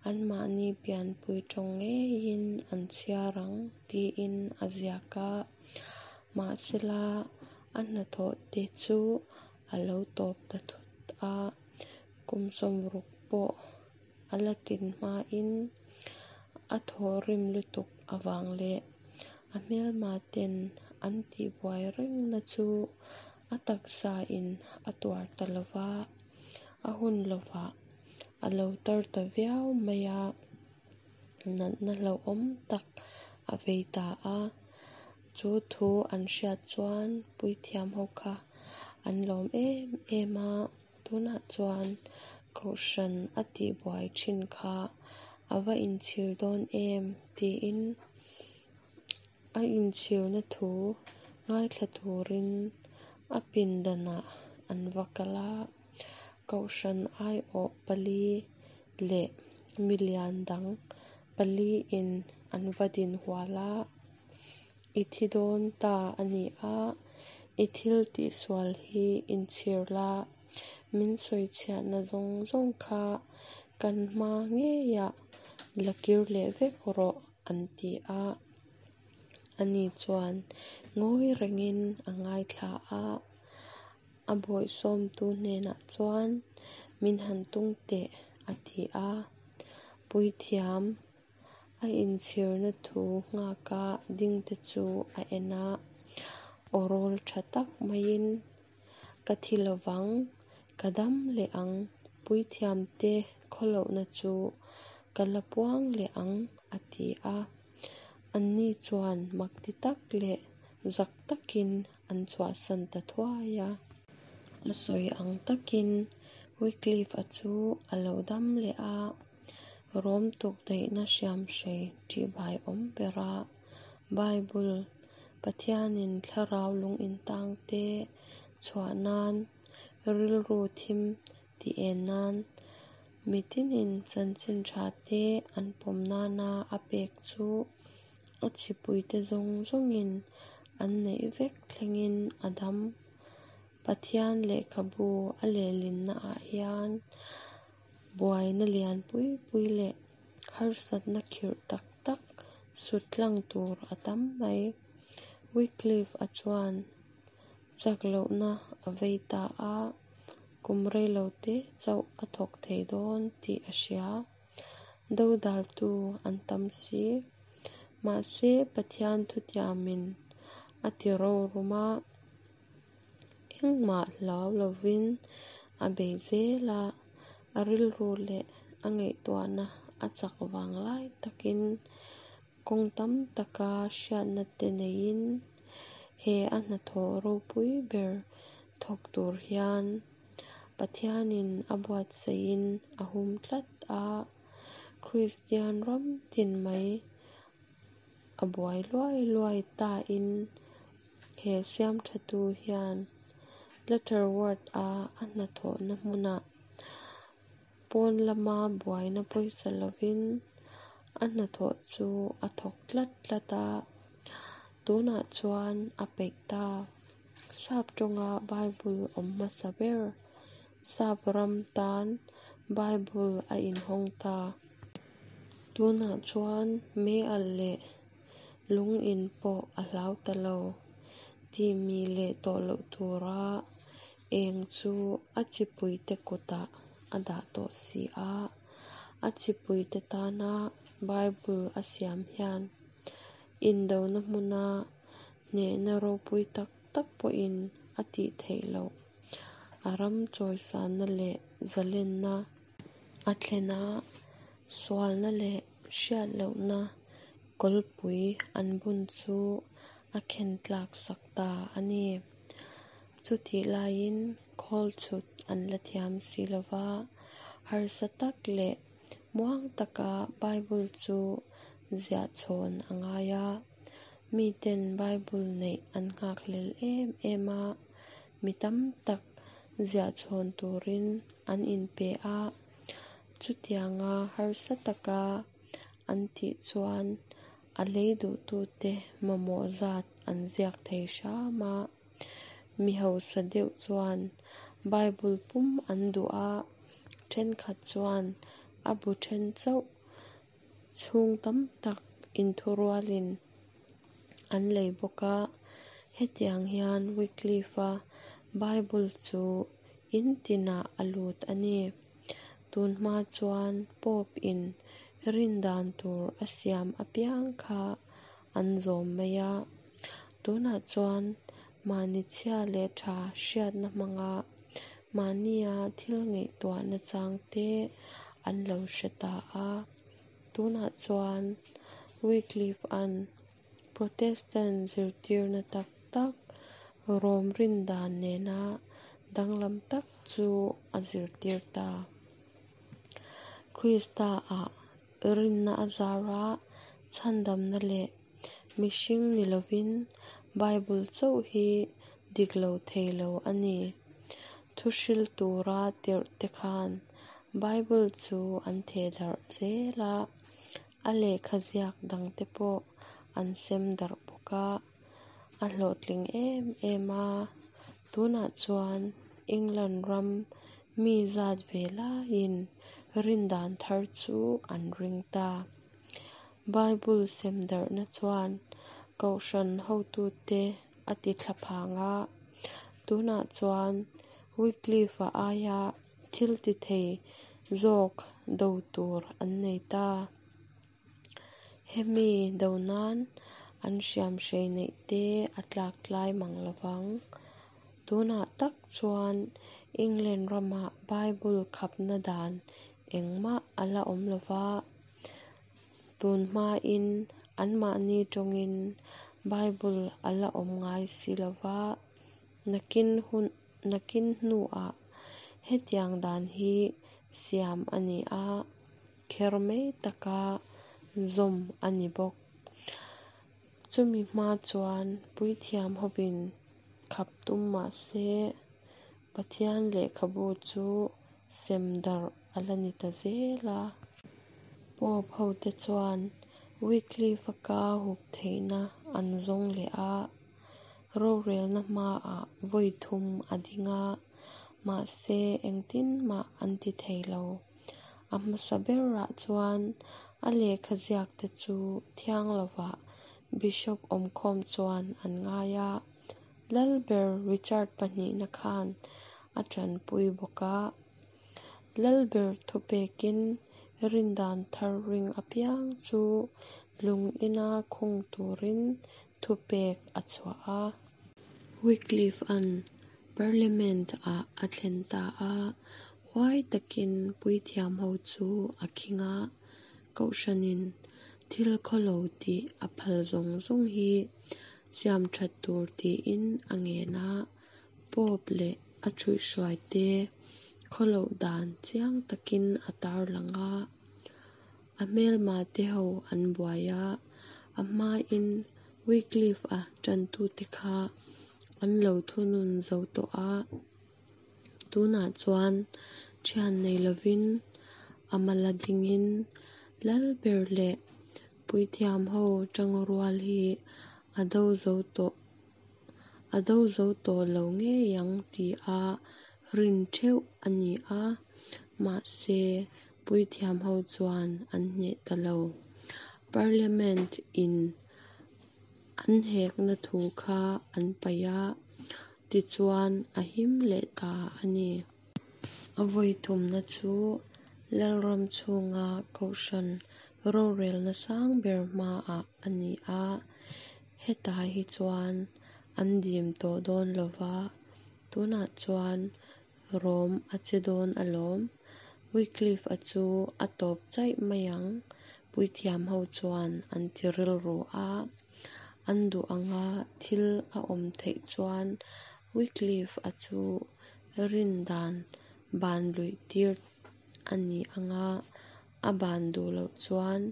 anmahni pianpui tawng ngeiin an chhiar ang tiin a ziak a. Mahsela a hnathawh te chu a lo tawp ta thut a, kum 60 pawh a la tlin hmain a thawhrim lutuk avang leh a hmelma ten an tihbuai rengna chu a taksa in a tuar ta lova, a hun lovah a lo tar ta viau mai a, natna hlauhawm tak a vei ta a. Chu thu an hriat chuan puithiam ho kha an lawm em em a, tunah chuan kohhran a tihbuai thin kha a va inchhir dawn em tiin a inchhirna thu ngaithla turin a pindanah an va kal a, kohhran aiawh pali leh milian dang paliin an va din hual a, I thi dawn ta a ni a, i thil tihsual hi inchhir la, min sawichhiatna zawng zawng kha kan hma ngeiah la kir leh vek rawh an ti a. Ani chuan ngawi rengin a ngaithla a, a bawihsawmtu hnenah chuan min han tung teh a ti a. Puithiam a inchhirna thu nghaka dingte chu a en a, aw rawl tha tak maiin, Ka thi lovang, ka dam leh ang, puithiamte khawlohna chu ka la puang leh ang, a ti a. Anni chuan makti tak leh zak takin an chhuahsan ta thuai a. A sawi ang takin Wycliffe-a chu a lo dam leh a, Rom tukdaihna hriamhrei ṭihbaiawm bera Bible, Pathianin thlarau lungintangte chhuah nan, rilru thim tih en nan, mitinin chanchin tha te an pawm nana a pek chu a chipuite zawng zawngin an neih vek thlengin a dam. Pathian lehkhabu a lehlinnaah hian buaina lian pui pui leh harsatna khirh tak tak sut tlang tur a tam mai. Wycliffe-a chuan chak lohna a vei ta a, kum reilo te chauh a thawk thei dawn tih a hria. Dodaltu an tam si. Mahse, Pathian thutiamin a ti rorum a, engmah hlau lovin a bei zel a, a rilru leh a ngaihtuahna a chak vang lai takin kawng tam taka hriatna te neiin he a hnathawh ropui ber thawk tur hian Pathianin a buatsaihin a hum tlat a, Kristian ram tin mai a buai luai luai tain he siamthatu hian Lutterworth-a a hnathawhna hmunah pawn lama buaina pawisa lovin A hnathawh chu a thawk tlat tlat a, tunah chuan a peih ta. Sap tawnga Bible awm hmasa ber, Sap ram tan Bible a inhawng ta. Tunah chuan meialh leh lung in pawh a hlau ta lo. Tih mih leh tawh loh tura eng chu a chipuite kutah a dah tawh si a. A chipuite tana Bible a siam hian indona hmuna hnehna ropui tak tak pawhin a tih theih loh a ram chawisanna leh zalenna a thlen a, sualna leh hriat lohna kawlpui an bun chu a khen tlak sak ta a ni. Chutih laiin khawl chhut an la thiam si lo va, harsa tak leh muang taka Bible chu ziah chhawn a ngai a. Miten Bible neih an nghakhlel em em a, mi tam tak ziah chhawn turin an inpe a. Chutianga harsa taka an tih chuan a lei duhtute mamawh zat an ziak thei hram a. Mi hausa deuh chuan Bible pum an duh a, thenkhat chuan a bu then chauh chhung tam tak inthurualin an lei bawk a. Hetiang hian Wycliffe-a Bible chu in tinah a lut a ni. Tun hma chuan Pope-in rin dan tur a siam apiang kha an zawm mai a. Tunah chuan mahni chhia leh tha hriatna hmanga mahnia thil ngaihtuah nachang te an lo hre ta a. Tunah chuan Wycliffe-a'n Protestant zirtirna tak tak Rom rin dan nena danglam tak chu a zirtir ta. Krista-ah rinna a zara chhandamna leh mihring ni lovin Bible chauh hi dik lo thei lo a ni. Thuhril tura tirh te khan Bible chu an thehdarh zel a, a lehkha ziak dangte pawh an sem darh bawk a, a hlawhtling em em a. Tunah chuan England ram mi zat ve laiin rindan thar chu an ring ta. Bible sem darhna chuan kohhran hotute a ti thlaphang a, tunah chuan Wycliffe-a aia thil ti thei zawk do tur an nei ta. Hemi do nan an hriamhrei neih te a tlak tlai mang lo vang. Tunah tak chuan England ramah Bible khapna dan engmah a la awm lo va, tun hmain anmahni tawngin Bible a la awm ngai si lo va, nakin hun nakin hnuah hetiang dan hi siam a ni a, kher mai taka zawm a ni bawk. Chumi hma chuan puithiam hovin khap tum mah se, Pathian lehkhabu chu sem darh a la ni ta zel a. Pope hote chuan Wycliffe-a ka hup theihna an zawng leh a, rorelna hmaah vawi thum a ding a, mahse engtin mah an ti thei lo. A hmasa berah chuan a lehkha ziakte chu thiang lovah Bishop awmkhawm chuan an ngai a, Lalber Richard pahnihna khan a tanpui bawk a. Lalber thupekin rindan thar ring apiang chu lung ina khung turin thupek a chhuah a. Wycliffe-a'n Parliament-ah a thlen ta a, huai takin puithiam ho chu a khing a, Kohhranin thil khawlo tih a phal zawng zawng hi siam that tur tiin a ngen a, Pope leh a ṭhuihhruaite khawloh dan chiang takin a tarlang a. A hmelmate ho an buai a, a hmain Wycliffe-a ṭantute kha an lo thunun zo tawh a. Tunah chuan ṭhian nei lovin a mala dingin Lalber leh Puithiamho tangrual hi a do zo tawh a do zo tawh lo ngei ang tia rin theuh a ni a, mahse puithiamho chuan an hneh ta lo. Parliament in an hekna thu kha an paih a, tichuan a him leh ta a ni. A vawi thumna chu Lalram chhunga Kohhran rorelna sang ber hmaah a ni a, hetah hi chuan an dim tawh dawn lova, tunah chuan Rom a che dawn alawm. Wycliffe-a chu a tawp chaih mai ang, puithiamho chuan an ti rilru a. An duh anga thil a awm theih chuan Wycliffe-a chu rin dan ban luih tir a ni ang a, a ban duh loh chuan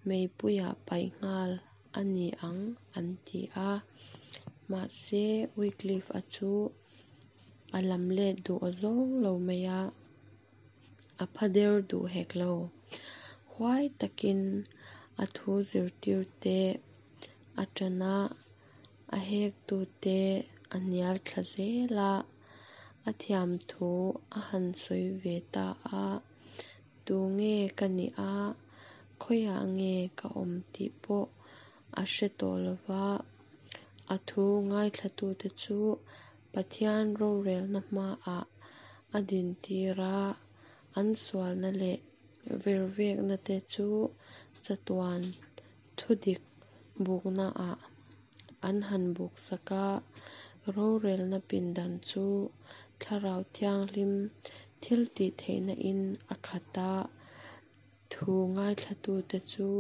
meipuiah paih nghal a ni ang an ti a. Mahse Wycliffe-a chu a lam let duh awzawng lo mai a, a pha der duh hek lo. Huai takin a thu zirtirte a ṭan a, a hektute a hnial thla zel a, a thiam thu a han sawi ve ta a, Tu nge ka nih a, khawiah nge ka awm tih pawh a hre tawh lo va, a thu ngaithlatute chu Pathian rorelna hmaah a dintir a, an sualna leh vervekna te chu chatuan thudik buknaah an han buksak a, rorelna pindan chu Thlarau Thianghlim thiltihtheihna in a khat a, thu ngaithlatute chu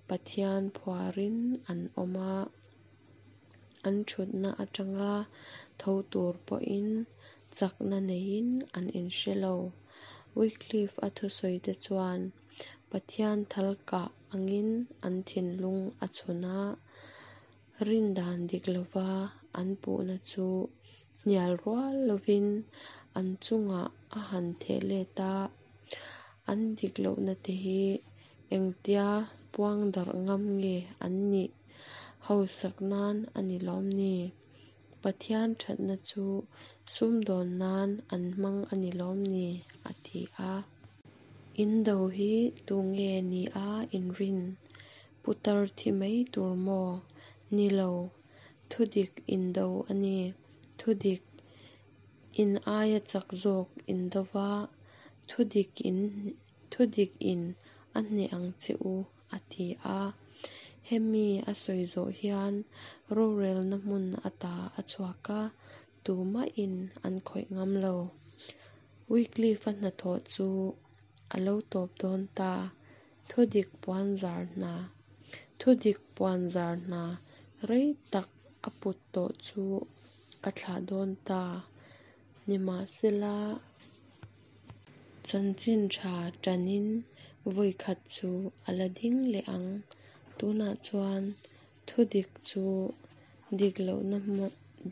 Pathian phuarin an awm a, an thutna atanga tho tur pawhin chakna neiin an inhre lo. Wycliffe-a thusawite chuan Pathian thal kah angin an thinlung a chhun a, rindan dik lova an puhna chu hnial rual lovin an chungah a han theh let a, an dik lohna te hi engtia puang darh ngam nge an nih hausak nan a ni lawm ni? Pathian thatna chu sumdawn nan an hmang a ni lawm ni? a ti a. In do hi tu nge ni a in rin? Putar thi mai tur maw? Ni lo, thudik in do a ni. Thudik in aia chak zawk in do va, thudik in thudik in a hneh ang che u, a ti a. Hemi a sawi zawh hian rorelna hmun ata a chhuak a, tumahin an khawih ngam lo. Wycliffe-a hnathawh chu a lo tawp dawn ta. Thudik puanzar hna Thudik puanzar hna rei tak a put tawh chu a thlah dawn ta. Nimahsela, chanchin tha tanin vawi khat chu a la ding leh ang. Tunah chuan thudik chu dik lohna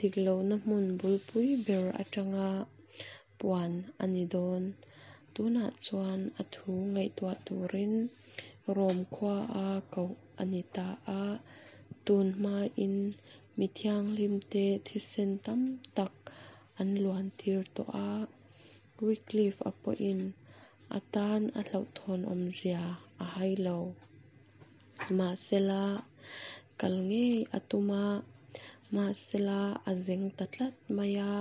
dik lohna hmun bulpui ber atanga puan a ni dawn. Tunah chuan a thu ngaihtuah turin Rom khuaa koh a ni ta a. Tun hmain mi thianghlimte thisen tam tak an luantir tawh a. Wycliffe-a pawhin a tan a hlauhthawn awmzia a hai lo. Mahsela, kal ngei a tum a, mahsela a zeng ta tlat mai a,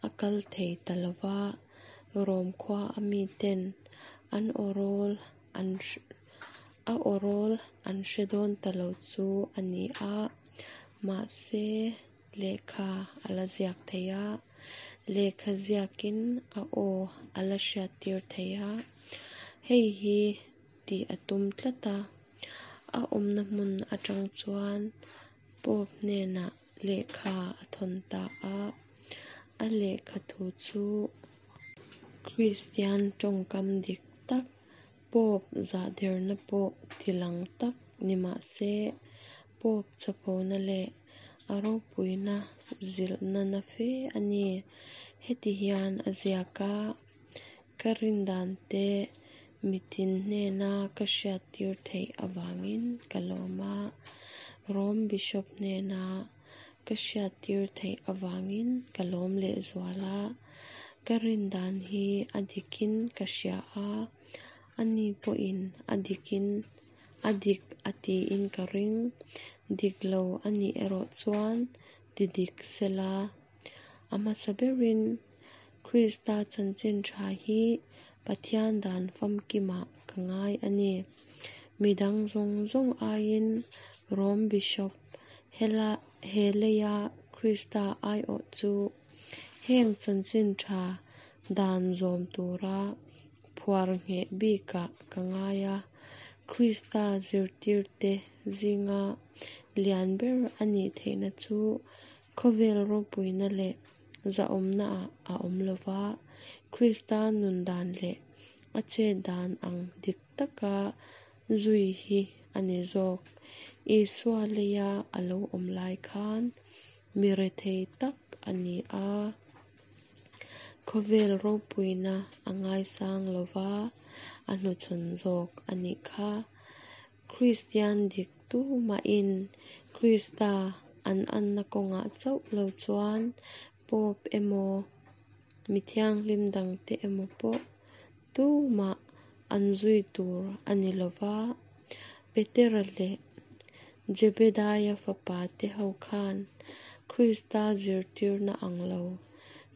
a kal thei ta lo va. Rom khua a miten an awrawl an a awrawl an hre dawn ta lo chu a ni a, mahse lehkha a la ziak thei a, lehkha ziakin a aw a la hriattir thei a, hei hi tih a tum tlat a, a awmna hmun atang chuan Pope hnenah lehkha a thawn ta a, a lehkha thu chu Kristian tawngkam dik tak, Pope zahderna pawh tilang tak ni mah se, Pope chapona leh a ropuina zilhna na fe a ni. Heti hian a ziak a, Ka rindan te. Mitin hnena ka hriattir theih avangin ka lawm a, Rom Bishop hnena ka hriattir theih avangin ka lawm lehzual a. Ka rin dan hi a dikin ka hria a, ani pawhin a dikin a dik a tiin ka ring. Dik lo a nih erawh chuan ti dik sela. A hmasa berin Krista chanchin tha hi Pathian dan famkimah ka ngai a ni. Mi dang zawng zawng aiin Rom Bishop hela he leia Krista aiawh chu heng chanchin tha dan zawm tura phuar ngheh bikah ka ngai a. Krista zirtirte zinga lian ber a nih theihna chu khawvel ropuina leh zahawmnaah a awm lo va, Krista nun dan leh a chet dan ang dik taka zui hi a ni zawk. Isua leia a lo awm lai khan mi rethei tak a ni a. Khawvel ropuina a ngaisang lo va, a hnuchhawn zawk a nih kha. Kristian dik tumahin Krista an anna kawngah chauh lo chuan Pope emaw, mi thianghlim dangte emaw pawh tumah an zui tur a ni lo va. Petera leh Jebedaia fapate ho khan Krista zirtirna ang lo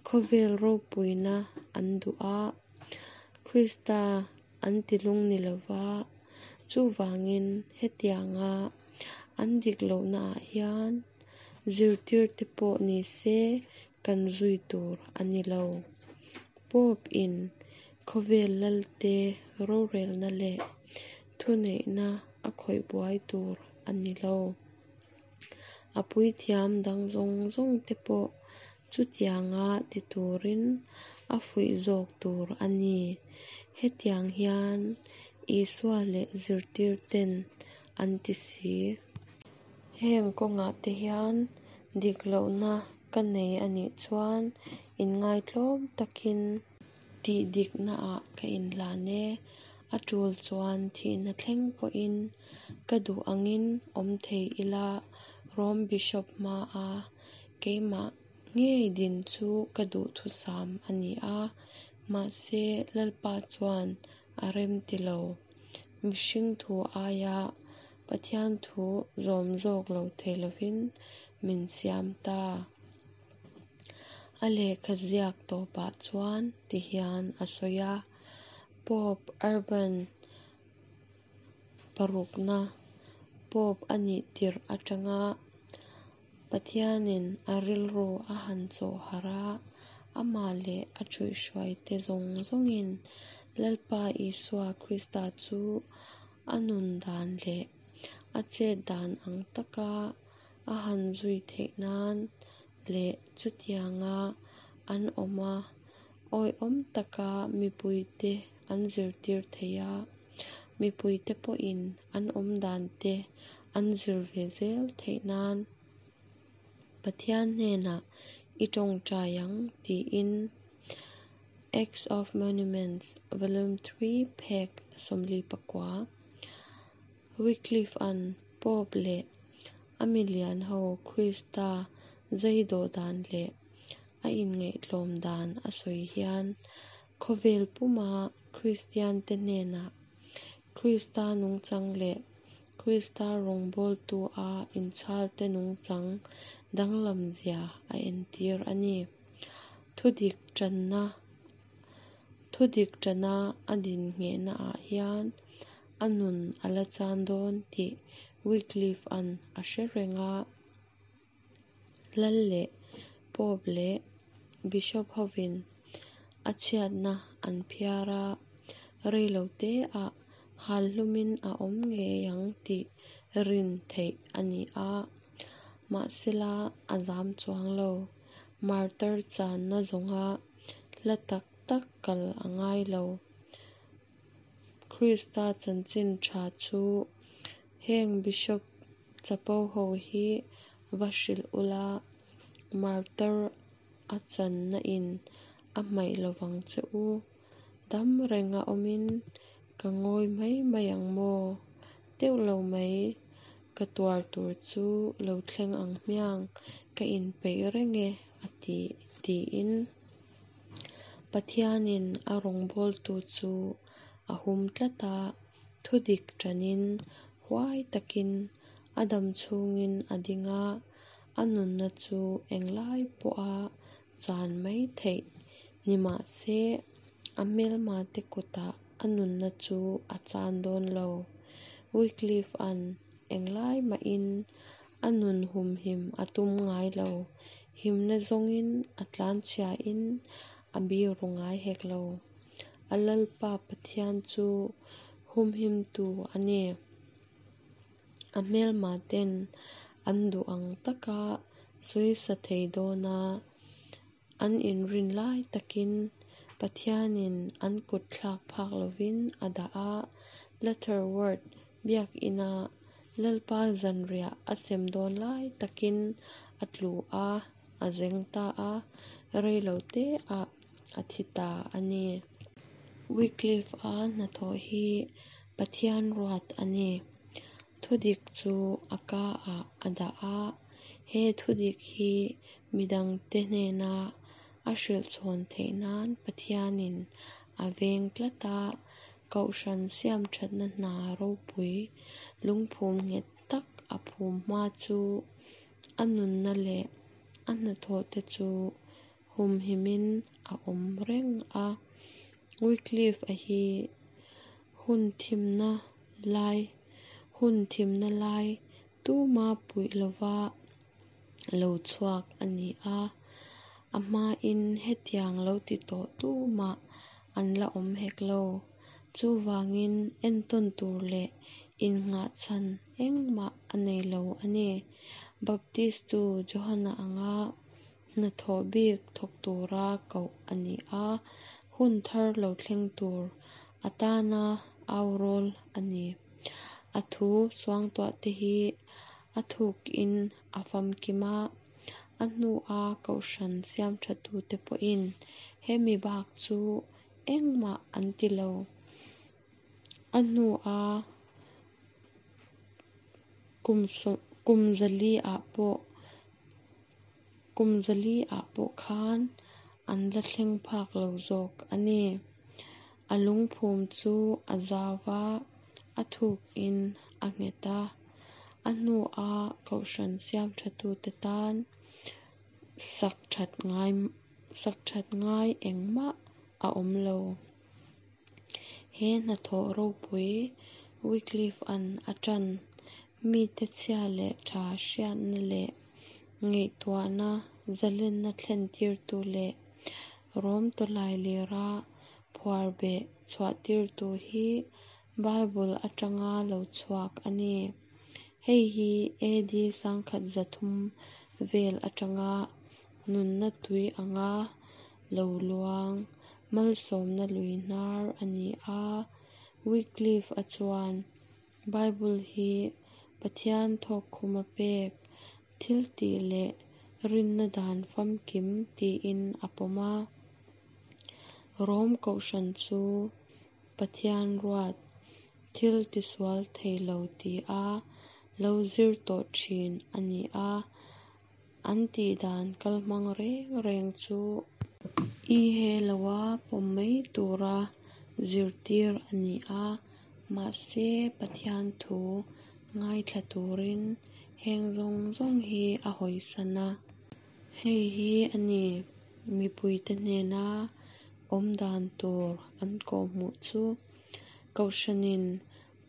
khawvel ropuina an duh a, Krista an tilung ni lo va, chuvangin hetianga an dik lohnaah hian zirtirte pawh ni se kan zui tur a ni lo. Pope in khawvel lalte rorelna leh thuneihna a khawih buai tur a ni lo. A puithiam dang zawng zawng te pawh chutianga ti turin a fuih zawk tur a ni. Hetiang hian Isua leh zirtirten an ti si. Heng kawngah te hian dik lohna ka nei a nih chuan inngaitlawm takin tih diknaah ka inhlan e. A tul chuan thihna thleng pawhin ka duh angin awm thei ila, Rom Bishop hmaa keimah ngei din chu ka duhthusam a ni a, mahse Lalpa chuan a remti lo. Mihring thu aia Pathian thu zawm zawk lo thei lovin min siam ta. A lehkha ziak tawpah chuan tihian a sawi a, Pope Urban parukna Pope a nih tirh atanga Pathianin a rilru a han chawh harh a, amah leh a ṭhuihhruaite zawng zawngin Lalpa Isua Krista chu a nun dan leh a chet dan ang taka a han zui theih nan leh chutianga an awm a, awihawm taka mipuite an zirtir thei a, mipuite pawhin an awm dante an zir ve zel theih nan Pathian hnenah i tawngtai ang tiin Acts of Monuments, Volume 3, phek 49. Wycliffe-a'n Pope leh a milian ho Krista zai dawh dan leh a inngaihtlawm dan a sawi hian khawvel puma Kristiante hnenah Krista nungchang leh Krista rawngbawltu-a inchhalte nungchang danglamzia a entir a ni. Thudik tanna Thudik tana a din nghehnaah hian a nun a la chan dawn tih Wycliffe-a'n a hre reng a. Lal leh Pope leh Bishop hovin a chhiatna an phiar a, rei lo teah hal hlumin a awm ngei ang tih rin theih a ni a. Mahsela a zam chuang lo. Martar channa zawnga hla tak tak kal a ngai lo. Krista chanchin tha chu heng Bishop chapo ho hi va hrilh ula, martar a channa in a hmaih lovang che u. Dam renga awmin Ka ngawi mai mai ang maw? Teuh lo mai, ka tuar tur chu lo thleng ang hmiang, ka inpeih reng e, a ti, tiin. Pathianin a rawngbawltu chu a hum tlat a, thudik ṭanin huai takin a dam chhungin a ding a, a nunna chu englai pawha chan mai theih ni mah se, a hmelmate kutah a nunna chu a chan dawn lo. Wycliffe-a'n englai mahin a nun humhim a tum ngai lo, himna zawngin a tlanchhiain a biru ngai hek lo. A Lalpa Pathian chu humhimtu a ni. A hmelmaten an duh ang taka sawisa thei dawna an inrin lai takin Pathianin an kut thlak phak lovin a dah a, Lutterworth biakina Lalpa zanriah a sem dawn lai takin a tlu a, a zeng ta a, rei lo teah a thi ta a ni. Wycliffe-a hnathawh hi Pathian ruat a ni. Thudik chu a ka-ah a dah a, he thudik hi midangte hnena a hrilh chhawn theih nan Pathianin a veng tlat a, Kohhran siamthatna hna ropui lungphum nghet tak a phum hma chu a nunna leh a hnathawhte chu humhimin a awm reng a. Wycliffe-a hi hun thimna lai hun thimna lai tuma puih lova lo chhuak a ni a, a hmain hetiang lo ti tawh tumah an la awm hek lo. Chuvangin entawn tur leh innghahchhan engmah a nei lo a ni. Baptistu Johana anga hnathawh bik thawk tura koh a ni a, hun thar lo thleng tur atana au rawl a ni. A thu suangtuahte hi a thukin a famkim a, a hnua kohhran siamthatute pawhin hemi bak chu engmah an ti lo. A hnua kum kum zali-ah pawh kum zali-ah pawh khan an la thleng phak lo zawk a ni. A lungphum chu a zau va, a thukin a nghet a. A hnua kohhran siamthatute tan sak that ngai sak that ngai engmah a awm lo. He hnathawh ropui Wycliffe-a'n a ṭan, mite chhia leh ṭha hriatna leh ngaihtuahna zalenna thlentirtu leh Rom tawlailira phuarbeh chhuahtirtu hi Bible aṭanga lo chhuak a ni. Hei hi AD 1300 vel aṭanga nunna tui anga lo luang, malsawmna lui hnar a ni a. Wycliffe-a chuan Bible hi Pathian thawkkhuma pek, thiltih leh rinna dan famkim tiin a pawm a. Rom kohhran chu Pathian ruat, thil tisual thei lo tia lo zir tawh thin a ni a, an tihdan kalhmang reng reng chu i he loa pawm mai tura zirtir a ni a, mahse Pathian thu ngaithla turin heng zawng zawng hi a hawisan a. Hei hi a ni mipuite hnena awmdan tur an kawhhmuh chu. Kohhranin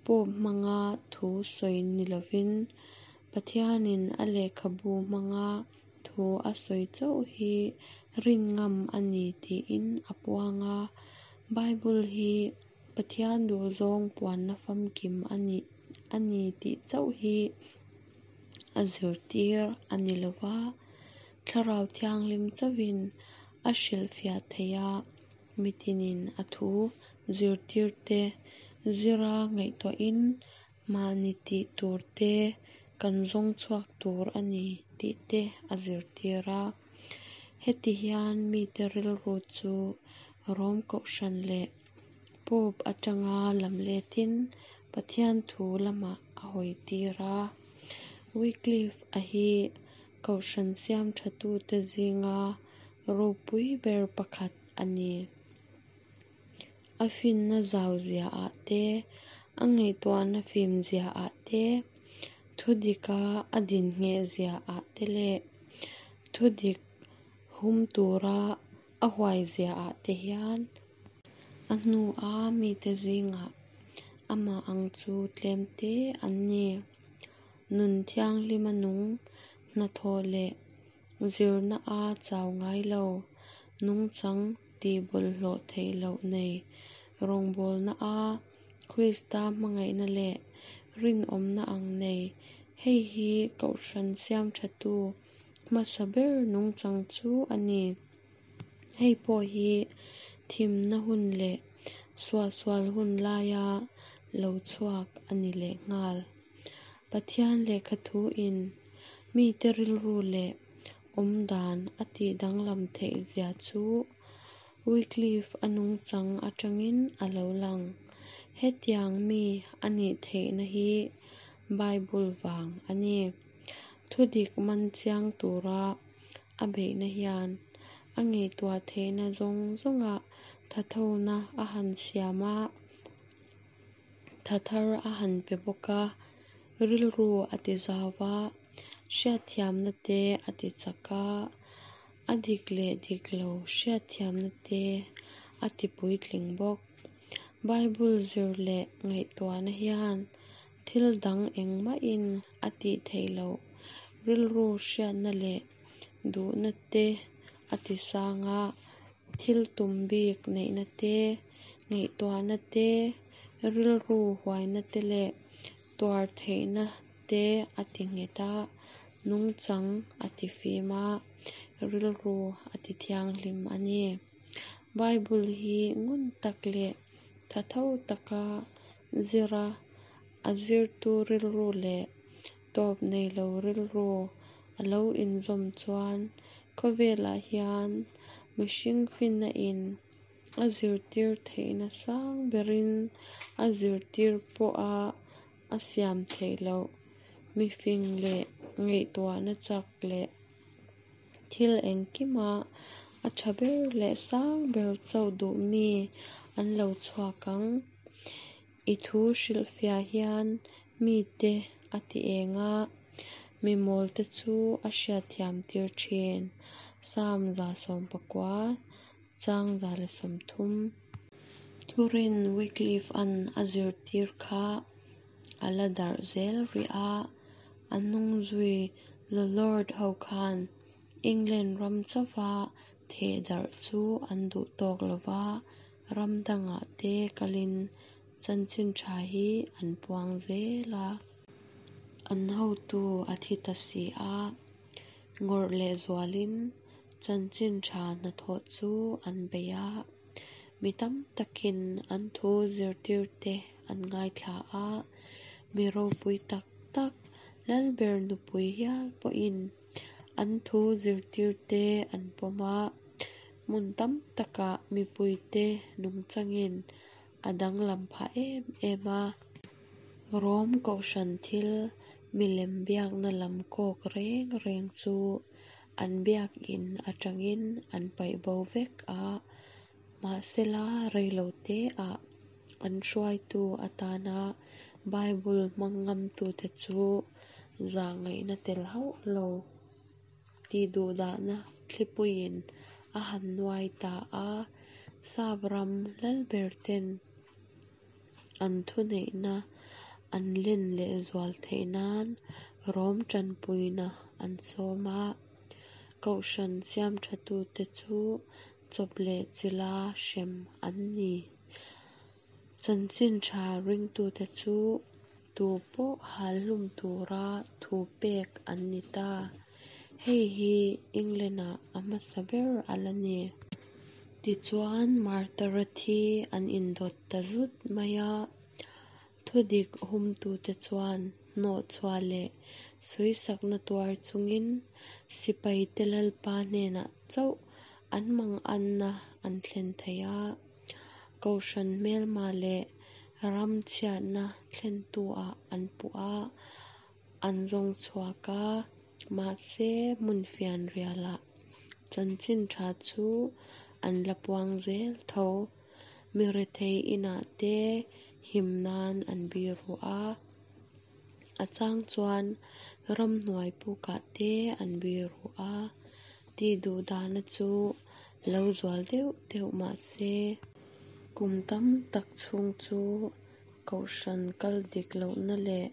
Pope hmanga thu sawi ni lovin Pathianin a lehkhabu hmanga thu a sawi chauh hi rin ngam a ni tiin a puang a. Bible hi Pathian duhzawng puanna famkim a ni a ni tih chauh hi a zirtir a ni lo va, Thlarau Thianghlim chauhin a hrilhfiah theih a, mitinin a thu zirtirte zira ngaihtuahin mahni tih turte kan zawng chhuak tur a ni tih te a zirtir a. Heti hian mite rilru chu Rom kohhran leh. Pope atanga lamletin Pathian thu lamah a hawitir a. Wycliffe-a hi Kohhran siamthatute zinga ropui ber pakhat a ni. A finna zau ziaah te, a ngaihtuahna fim ziaah te, thudika a din ngheh ziaah te leh thudik hum tura a huai ziaah te hian a hnua mite zingah amah ang chu tlemte an ni. Nun thianghlima nung, hnathawh leh zirna-a chau ngai lo, nungchang tihbawlhhlawh theih loh nei, rawngbawlna-a Krista hmangaihna leh rinawmna ang nei, hei hi Kohhran siamthatu hmasa ber nungchang chu a ni. Hei pawh hi thimna hun leh suahsual hun laia lo chhuak a ni lehnghal. Pathian Lehkha Thuin mite rilru leh awmdan a tih danglam theih zia chu Wycliffe-a nungchang atangin a lo lang. Hetiang mi a nih theihna hi Bible vang a ni. Thudik man chiang tura a beihna hian a ngaihtuah theihna zawng zawngah thathona a han siam a, tha thar a han pe bawk a, rilru a tizau va, hriatthiamna te a tichak a, a dik leh dik lo hriatthiamna te a tipuitling bawk. Bible zir leh ngaihtuahna hian thil dang engmahin a tih theih loh rilru hriatna leh duhna te a tisang a, thil tum bik neihna te, ngaihtuahna te, rilru huaina te leh tuar theihna te a tinghet a, nungchang a tifim a, rilru a tithianghlim a ni. Bible hi ngun tak leh thatho taka zira a zirtu rilru leh tawp nei lo rilru a lo inzawm chuan khawvelah hian mihring finna in a zirtir theihna sang berin a zirtir pawha a siam theih loh mifing leh ngaihtuahna chak leh thil engkima a tha ber leh sang ber chauh duh mi an lo chhuak ang. I thu hrilhfiah hian mite a ti eng a, mi mawlte chu a hriatthiam tir thin. Salm 119, chang 130. Thurin Wycliffe-a'n a zirtir kha a la darh zel rih a, a hnung zui Lollard ho khan England ram chauva theh darh chu an duh tawk lo va, ram dangah te kalin chanchin tha hi an puang zel a. An hotu a thi ta si a, ngawrh lehzualin chanchin tha hnathawh chu an bei a. Mi tam takin an thu zirtirte an ngaithla a, mi ropui tak tak Lalber nupui hial pawhin an thu zirtirte an pawm a, hmun tam takah mipuite nungchangin a danglam phah em em a. Rom Kohhran thil milem biakna lam kawk reng reng chu an biakin atangin an paih bo vek a, mahsela reiloteah an hruaitu atana Bible hmang ngamtute chu zahngaihna tel hauh lo tihduhdahna thlipuiin a han nuai ta a, Sap ram lalberten an thuneihna an len lehzual theih nan Rom tanpuina an sawm a, Kohhran siamthatute chu chawp leh chilha hrem an ni. Chanchin tha ringtute chu tu pawh hal hlum tura thu pek an ni ta. Hei hi England-ah a hmasa ber a la ni. Tichuan, Martara thi an indawt ta zut mai a. Thudik humtute chuan hnawhchhuah leh sawisakna tuar chungin sipaite Lalpa hnenah chauh an manganna an thlen thei a. Kohhran hmelma leh ram chhiatna thlentu-ah an puh a, an zawng chhuak a, mahse hmun fianrialah chanchin tha chu an la puang zel tho. Mi rethei inah te him nan an biru a, a chang chuan ramhnuai pukah te an biru a, tihduhdahna chu lo zual deuh deuh mah se, kum tam tak chhung chu kohhran kal dik lohna leh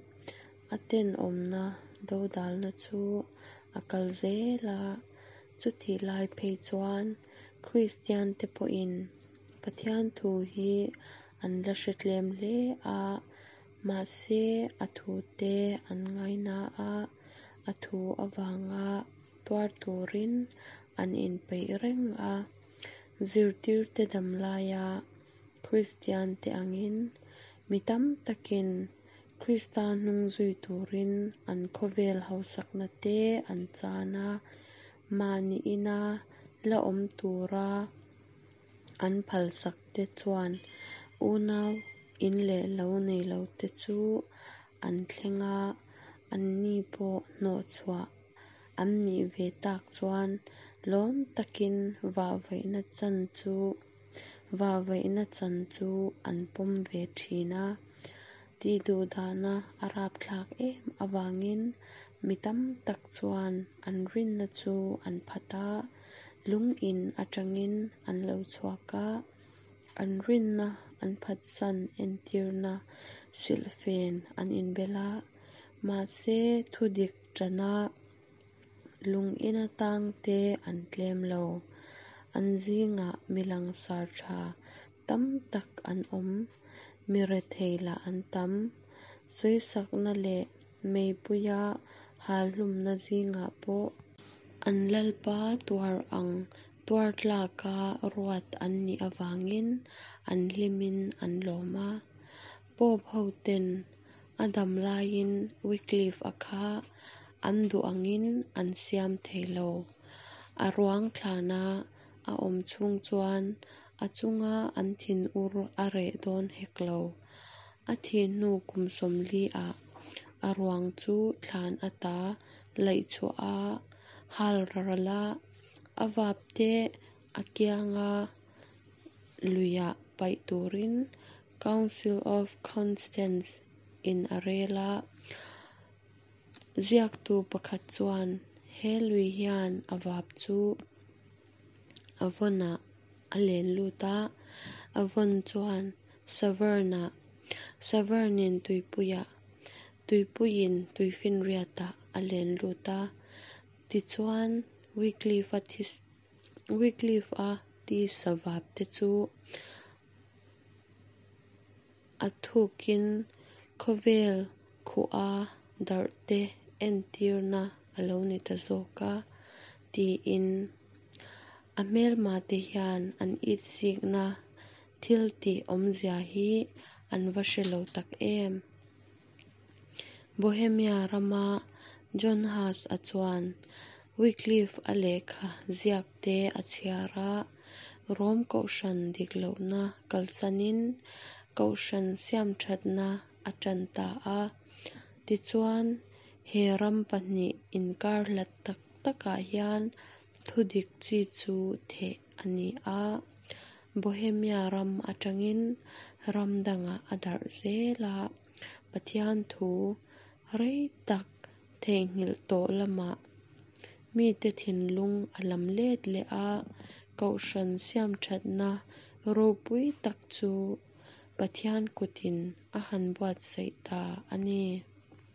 a tenawmna dodalna chu a kal zel a. Chutih lai phei chuan Kristiante pawhin Pathian thu hi an la hre tlem hle a, mahse a thute an ngaina a, a thu avanga tuar turin an inpeih reng a. Zirtirte dam laia Kristiante angin mi tam takin Krista hnung zui turin an khawvel hausakna te an chan a, mahni ina la awm tura an phalsak te chuan unau in leh lo nei lo te chu an thleng a, anni pawh hnawhchhuah an nih ve tak chuan lawm takin vahvaihna chan chu vahvaihna chan chu an pawm ve thin a. Tihduhdahna a rapthlak em avangin mi tam tak chuan an rinna chu an phat a, lung in atangin an lo chhuak a, an rinna an phatsan entirna silhfen an inbel a, mahse thudik tana lung ina tangte an tlem lo. An zingah mi langsar tha tam tak an awm, mi rethei lah an tam. Sawisakna leh meipuia halhlumna zingah pawh an Lalpa tuar ang tuar tlaka ruat an nih avangin an hlimin an lawm a. Pope hoten a dam laiin Wycliffe-a kha an duh angin an siam thei lo. A ruang thlana a awm chhung chuan a chunga an thinur a reh dawn hek lo. A thih hnu kum 40 ah a ruang chu thlan ata laih chhuah a, hal ral a, a vap te a kianga luiah paih turin Council of Constance in a rel a. Ziaktu pakhat chuan he lui hian a vap chu Avon-ah a len lut a, Avon chuan Severn-ah, Severn-in tuipuiah, tuipuiin tuifinriatah a len lut a. Tichuan, Wycliffe-a Wycliffe-a tisa vap te chu a thukin khawvel khuha darh te entirna a lo ni ta zawk a, tiin a hmelmate hian an itsikna thil tih awmzia hi an va hre lo tak em. Bohemia rama John Huss-a chuan Wycliffe-a lehkha ziakte a chhiar a, Rom kohhran dik lohna kalsanin kohhran siamthatna a tan ta a. Tichuan, he ram pahnih inkar hlat tak takah hian thudik chi chu theh a ni a, Bohemia ram atangin ram dangah a darh zel a, Pathian thu rei tak theihnghilh tawh lamah mite thinlung a lam let leh a, kohhran siamthatna ropui tak chu Pathian kutin a han buatsaih ta a ni.